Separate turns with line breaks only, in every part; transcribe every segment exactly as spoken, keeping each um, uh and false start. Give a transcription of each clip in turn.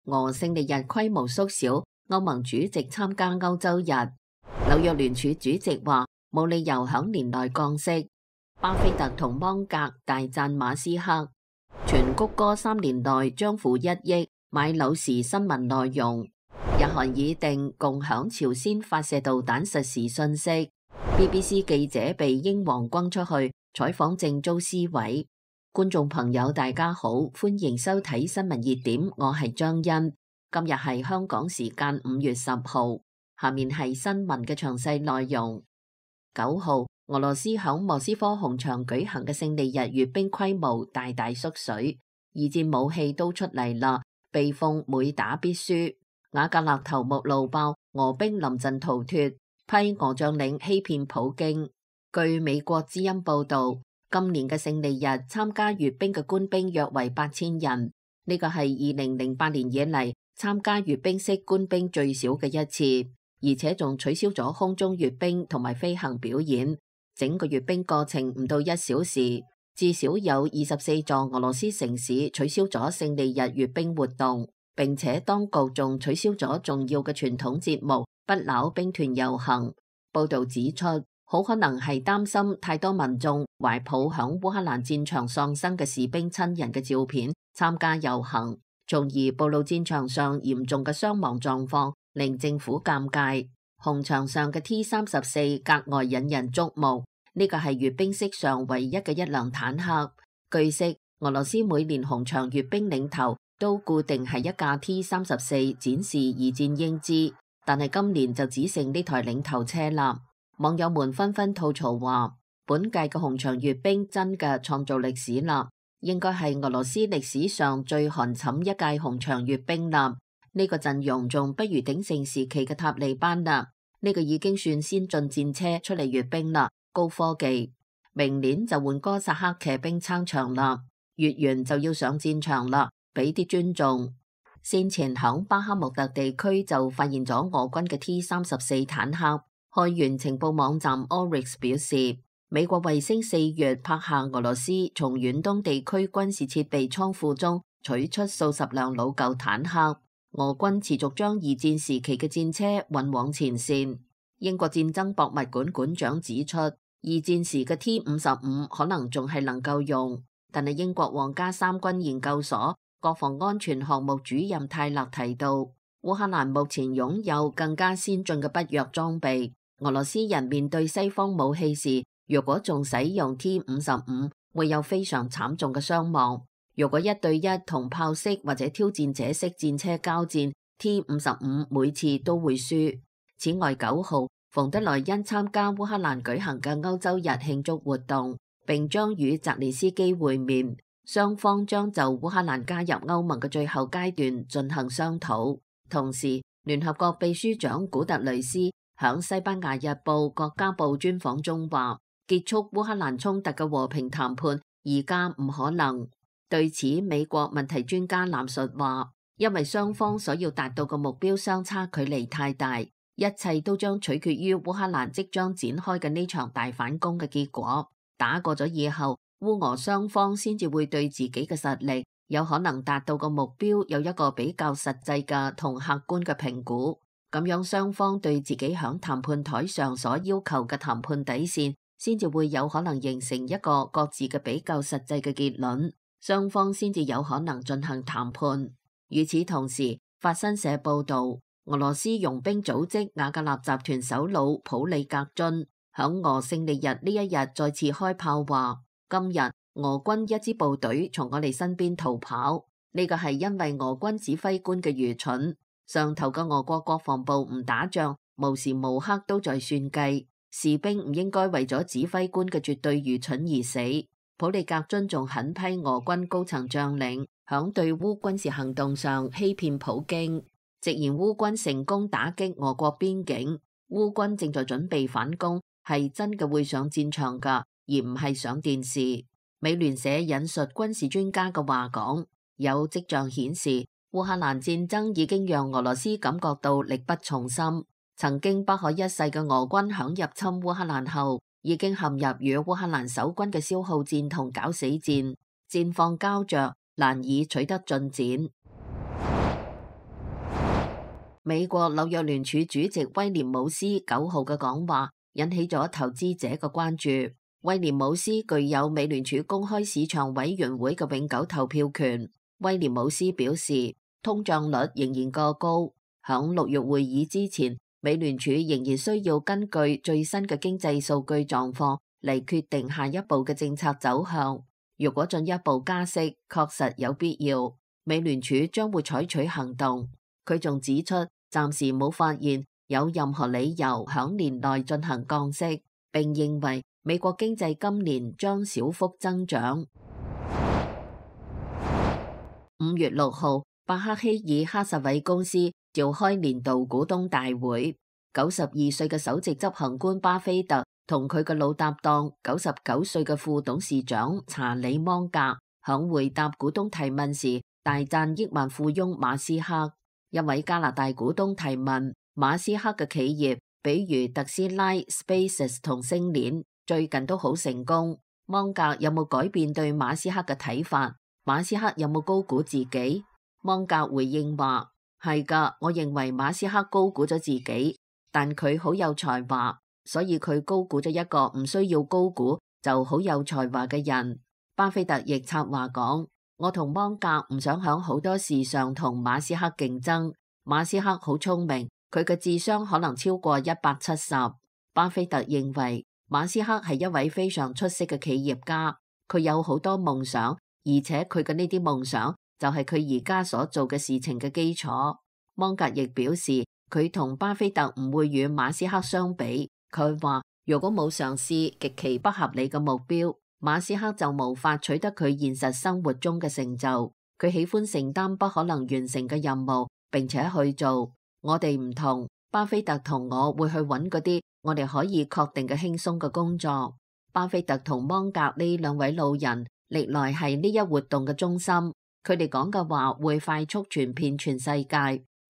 俄勝利日規模縮小，歐盟主席參加歐洲日。紐約聯儲主席話冇理由響年內降息。巴菲特同芒格大讚馬斯克。全谷歌三年內將付一億買柳時新聞內容。日韓擬定共享朝鮮發射導彈實時信息。B B C 記者被英皇轟出去採訪正遭撕毀。觀眾朋友大家好，歡迎收睇新聞熱點，我係張欣。今日係香港時間五月十號，下面係新聞嘅詳細內容。九號，俄羅斯響莫斯科紅場舉行嘅勝利日閱兵規模大大縮水，二戰武器都出嚟啦，被奉每打必輸。瓦格納頭目怒爆，俄兵臨陣逃脫，批俄將領欺騙普京。據美國之音報道，今年嘅勝利日參加閱兵嘅官兵約為八千人，呢個係二零零八年以嚟參加閱兵式官兵最少嘅一次。而且仲取消咗空中閱兵同埋飛行表演，整個閱兵過程唔到一小時，至少有二十四座俄羅斯城市取消咗勝利日閱兵活動，並且當局仲取消咗重要嘅傳統節目不朽兵團遊行。報道指出，好可能係擔心太多民眾懷抱響烏克蘭戰場喪生嘅士兵親人嘅照片參加遊行，從而暴露戰場上嚴重嘅傷亡狀況，令政府尷尬。紅場上嘅 T 三十四格外引人矚目，呢個係閱兵式上唯一嘅一輛坦克。據悉，俄羅斯每年紅場閱兵領頭都固定係一架 T 三十四展示二戰英姿，但係今年就只剩呢台領頭車啦。網友們紛紛吐槽話，本屆嘅紅場閱兵真嘅創造歷史啦，應該係俄羅斯歷史上最寒碜一屆紅場閱兵啦。呢個陣容仲不如鼎盛時期嘅塔利班啦，呢個已經算先進戰車出嚟閱兵啦，高科技。明年就換哥薩克騎兵撐場啦，閱完就要上戰場啦，俾啲尊重。先前響巴克穆特地區就發現咗俄軍嘅 T 三十四坦克。開源情報網站 Oryx 表示，美國衛星四月拍下俄羅斯從遠東地區軍事設備倉庫中取出數十輛老舊坦克。俄軍持續將二戰時期嘅戰車運往前線。英國戰爭博物館館長指出，二戰時嘅 T 五十五可能仲係能夠用，但係英國皇家三軍研究所國防安全項目主任泰勒提到，烏克蘭目前擁有更加先進嘅北約裝備。俄羅斯人面對西方武器時，如果仲使用 T 五十五，會有非常慘重嘅傷亡。如果一對一同豹式或者挑戰者式戰車交戰 ，T 五十五每次都會輸。此外，九號馮德萊恩參加烏克蘭舉行嘅歐洲日慶祝活動，並將與澤連斯基會面，雙方將就烏克蘭加入歐盟嘅最後階段進行商討。同時，聯合國秘書長古特雷斯響西班牙日報國家報專訪中話，結束烏克蘭衝突嘅和平談判而家唔可能。對此，美國問題專家藍述話，因為雙方所要達到嘅目標相差距離太大，一切都將取決於烏克蘭即將展開嘅呢場大反攻嘅結果。打過咗以後，烏俄雙方先至會對自己嘅實力有可能達到嘅目標有一個比較實際嘅同客觀嘅評估。咁樣雙方對自己響談判台上所要求嘅談判底線，先至會有可能形成一個各自嘅比較實際嘅結論，雙方先至有可能進行談判。與此同時，法新社報道，俄羅斯傭兵組織瓦格納集團首腦普里格津響俄勝利日呢一日再次開炮話，今日俄軍一支部隊從我哋身邊逃跑，呢個係因為俄軍指揮官嘅愚蠢。上頭嘅俄國國防部唔打仗，無時無刻都在算計，士兵唔應該為咗指揮官嘅絕對愚蠢而死。普里格津仲狠批俄軍高層將領響對烏軍事行動上欺騙普京，直言烏軍成功打擊俄國邊境，烏軍正在準備反攻，係真嘅會上戰場噶，而唔係上電視。美聯社引述軍事專家嘅話講，有跡象顯示，烏克蘭戰爭已經讓俄羅斯感覺到力不從心。曾經不可一世嘅俄軍響入侵烏克蘭後，已經陷入與烏克蘭守軍嘅消耗戰同搞死戰，戰況膠着，難以取得進展。美國紐約聯儲主席威廉姆斯九號嘅講話引起咗投資者嘅關注。威廉姆斯具有美聯儲公開市場委員會嘅永久投票權。威廉姆斯表示，通脹率仍然過高，響六月會議之前，美聯儲仍然需要根據最新嘅經濟數據狀況嚟決定下一步嘅政策走向。如果進一步加息，確實有必要，美聯儲將會採取行動。佢仲指出，暫時冇發現有任何理由響年內進行降息，並認為美國經濟今年將小幅增長。五月六號，伯克希爾哈撒韋公司召開年度股東大會，九十二歲嘅首席執行官巴菲特同佢嘅老搭檔九十九歲嘅副董事長查理芒格響回答股東提問時大讚億萬富翁馬斯克。一位加拿大股東提問，馬斯克嘅企業比如特斯拉、SpaceX 同星鏈最近都好成功，芒格有冇改變對馬斯克嘅睇法？馬斯克有冇高估自己？芒格回應話，係噶，我認為馬斯克高估咗自己，但佢好有才華，所以佢高估咗一個唔需要高估就好有才華嘅人。巴菲特亦插話講，我同芒格唔想響好多事上同馬斯克競爭。馬斯克好聰明，佢嘅智商可能超過一百七十。巴菲特認為馬斯克係一位非常出色嘅企業家，佢有好多夢想，而且佢嘅呢啲夢想就係佢而家所做嘅事情嘅基礎。芒格亦表示，佢同巴菲特唔會與馬斯克相比。佢話，如果冇嘗試極其不合理嘅目標，馬斯克就無法取得佢現實生活中嘅成就。佢喜歡承擔不可能完成嘅任務，並且去做。我哋唔同，巴菲特同我會去揾嗰啲我哋可以確定嘅輕鬆嘅工作。巴菲特同芒格呢兩位老人歷來係呢一活動嘅中心，佢哋講嘅話會快速傳遍全世界。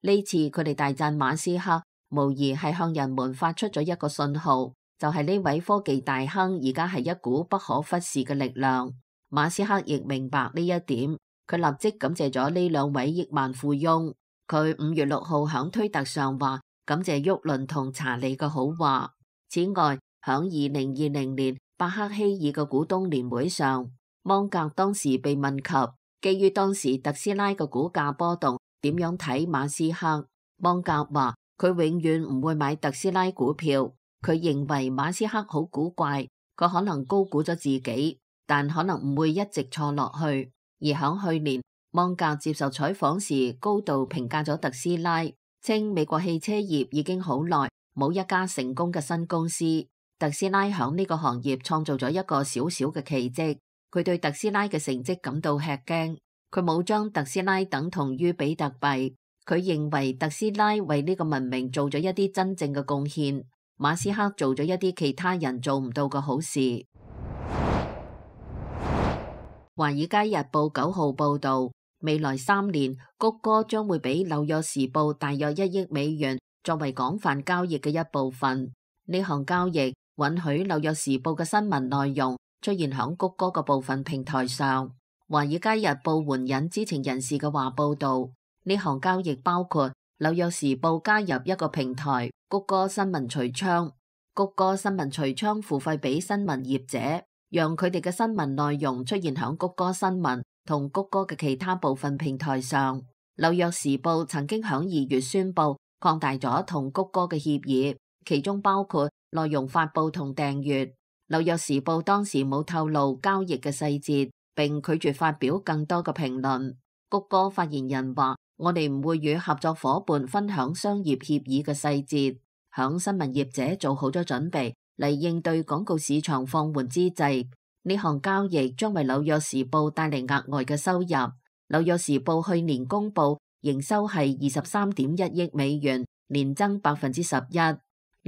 呢次佢哋大讚馬斯克，無疑係向人們發出咗一個信號，就係呢位科技大亨而家係一股不可忽視嘅力量。馬斯克亦明白呢一點，佢立即感謝咗呢兩位億萬富翁。佢五月六號響推特上話，感謝沃倫同查理嘅好話。此外，響二零二零年伯克希爾嘅股東年會上，芒格當時被問及基於當時特斯拉嘅股價波動，點樣睇馬斯克？芒格話佢永遠唔會買特斯拉股票，佢認為馬斯克好古怪，佢可能高估咗自己，但可能唔會一直錯落去。而響去年，芒格接受採訪時高度評價咗特斯拉，稱美國汽車業已經好耐冇一家成功嘅新公司，特斯拉響呢個行業創造咗一個小小嘅奇蹟。佢對特斯拉嘅成績感到吃驚，佢冇將特斯拉等同於比特幣，佢認為特斯拉為呢個文明做咗一啲真正嘅貢獻，馬斯克做咗一啲其他人做唔到嘅好事。華爾街日報九號報道，未來三年谷歌將會俾紐約時報大約一億美元作為廣泛交易嘅一部分。呢項交易允許紐約時報嘅新聞內容出現響谷歌嘅部分平台上。華爾街日報援引知情人士嘅話報道，呢項交易包括紐約時報加入一個平台谷歌新聞櫥窗，谷歌新聞櫥窗付費俾新聞業者，讓佢哋嘅新聞內容出現響谷歌新聞同谷歌嘅其他部分平台上。紐約時報曾經響二月宣布擴大咗同谷歌嘅協議，其中包括內容發佈同訂閱。紐約時報當時冇透露交易嘅細節，並拒絕發表更多嘅評論。谷歌發言人話：我哋唔會與合作夥伴分享商業協議嘅細節。響新聞業者做好咗準備嚟應對廣告市場放緩之際，呢項交易將為紐約時報帶嚟額外嘅收入。紐約時報去年公布營收係二十三點一億美元，年增百分之十一。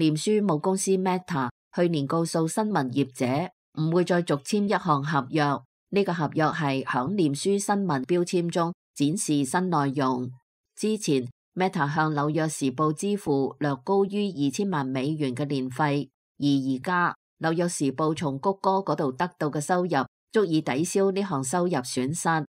臉書母公司 Meta 去年告訴新聞業者唔會再續簽一項合約，呢、這個合約係響臉書新聞標籤中展示新內容。之前 Meta 向紐約時報支付略高於二千萬美元嘅年費，而而家紐約時報從谷歌嗰度得到嘅收入足以抵消呢項收入損失。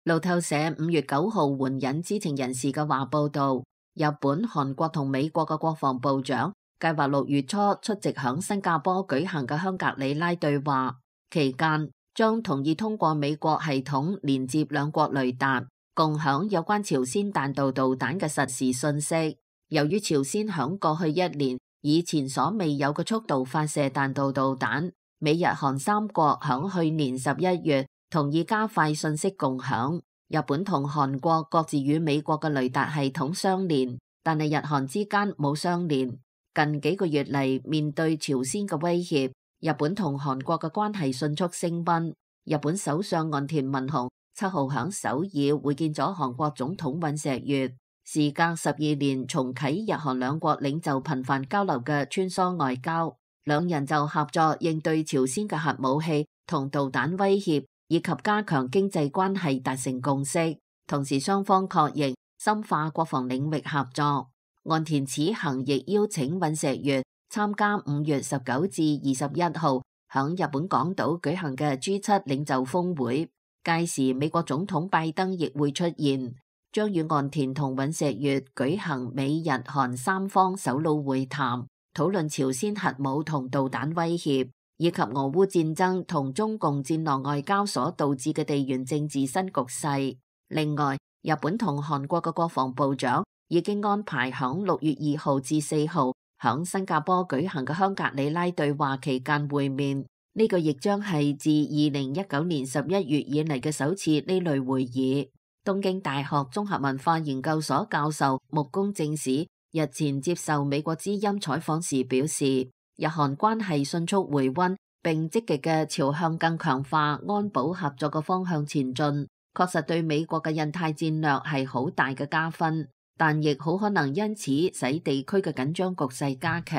路透社五月九號援引知情人士嘅話報道，日本、韓國同美國嘅國防部長計劃六月初出席響新加坡舉行嘅香格里拉對話，期間將同意通過美國系統連接兩國雷達，共享有關朝鮮彈道導彈嘅實時信息。由於朝鮮響過去一年以前所未有嘅速度發射彈道導彈，美日韓三國響去年十一月同意加快信息共享。日本同韓國各自與美國嘅雷達系統相連，但係日韓之間冇相連。近幾個月嚟，面對朝鮮嘅威脅，日本同韓國嘅關係迅速升溫。日本首相岸田文雄七號響首爾會見咗韓國總統尹錫悅，時隔十二年重啟日韓兩國領袖頻繁交流嘅穿梭外交，兩人就合作應對朝鮮嘅核武器同導彈威脅，以及加強經濟關係達成共識。同時雙方確認深化國防領域合作。岸田此行亦邀請尹錫悅參加五月十九至二十一號響日本廣島舉行嘅 G 七領袖峰會，屆時美國總統拜登亦會出現，將與岸田同尹錫悅舉行美日韓三方首腦會談，討論朝鮮核武同導彈威脅，以及俄烏戰爭同中共戰狼外交所導致嘅地緣政治新局勢。另外，日本同韓國嘅國防部長已經安排響六月二號至四號響新加坡舉行嘅香格里拉對話期間會面，呢個亦將係自二零一九年十一月以嚟嘅首次呢類會議。東京大學綜合文化研究所教授木宮正史日前接受美國之音採訪時表示，日韓關係迅速回溫，並積極嘅朝向更強化安保合作嘅方向前進，確實對美國嘅印太戰略係好大嘅加分。但亦好可能因此使地區嘅緊張局勢加劇。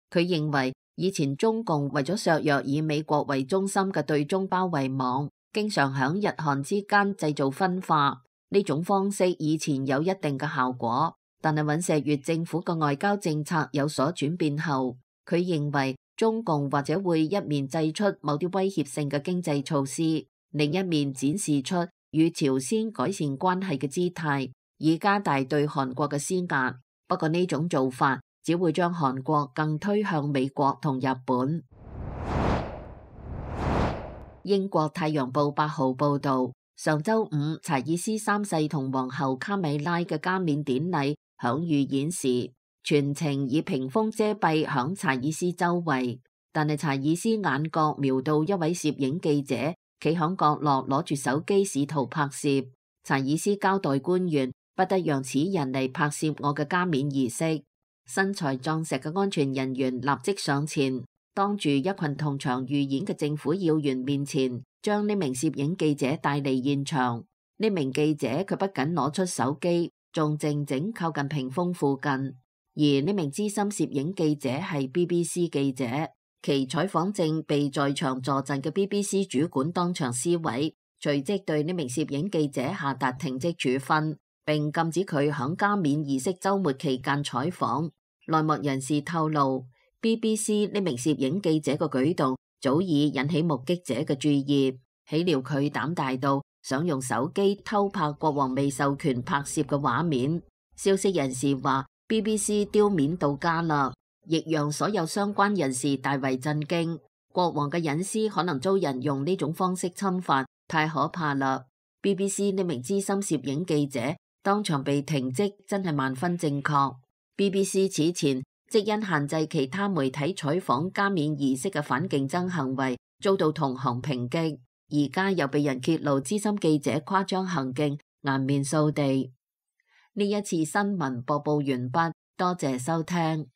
佢認為以前中共為咗削弱以美國為中心嘅對中包圍網，經常響日韓之間製造分化。呢種方式以前有一定嘅效果，但係尹錫悅政府嘅外交政策有所轉變後，佢認為中共或者會一面祭出某啲威脅性嘅經濟措施，另一面展示出與朝鮮改善關係嘅姿態，以加大對韓國嘅施壓。不過呢種做法只會將韓國更推向美國同日本。英國太陽報八號報導，上週五查爾斯三世同皇后卡米拉嘅加冕典禮響預演時，全程以屏風遮蔽響查爾斯周圍，但係查爾斯眼角瞄到一位攝影記者企響角落攞住手機試圖拍攝。查爾斯交代官員不得讓此人嚟拍攝我嘅加冕儀式。身材壯實嘅安全人員立即上前，當住一群同場預演嘅政府要員面前，將呢名攝影記者帶離現場。呢名記者佢不僅攞出手機，仲靜靜靠近屏風附近。而呢名資深攝影記者係 B B C 記者，其採訪證被在場坐鎮嘅 B B C 主管當場撕毀，隨即對呢名攝影記者下達停職處分，並禁止佢響加冕儀式週末期間採訪。內幕人士透露 ，B B C 呢名攝影記者嘅舉動早已引起目擊者嘅注意，豈料佢膽大到想用手機偷拍國王未授權拍攝嘅畫面。消息人士話 ，B B C 丟面到家啦，亦讓所有相關人士大為震驚。國王嘅隱私可能遭人用呢種方式侵犯，太可怕啦！ B B C 呢名資深攝影記者當場被停職，真係萬分正確。B B C 此前即因限制其他媒體採訪加冕儀式嘅反競爭行為，遭到同行抨擊，而家又被人揭露資深記者誇張行徑，顏面掃地。呢一次新聞播報完畢，多謝收聽。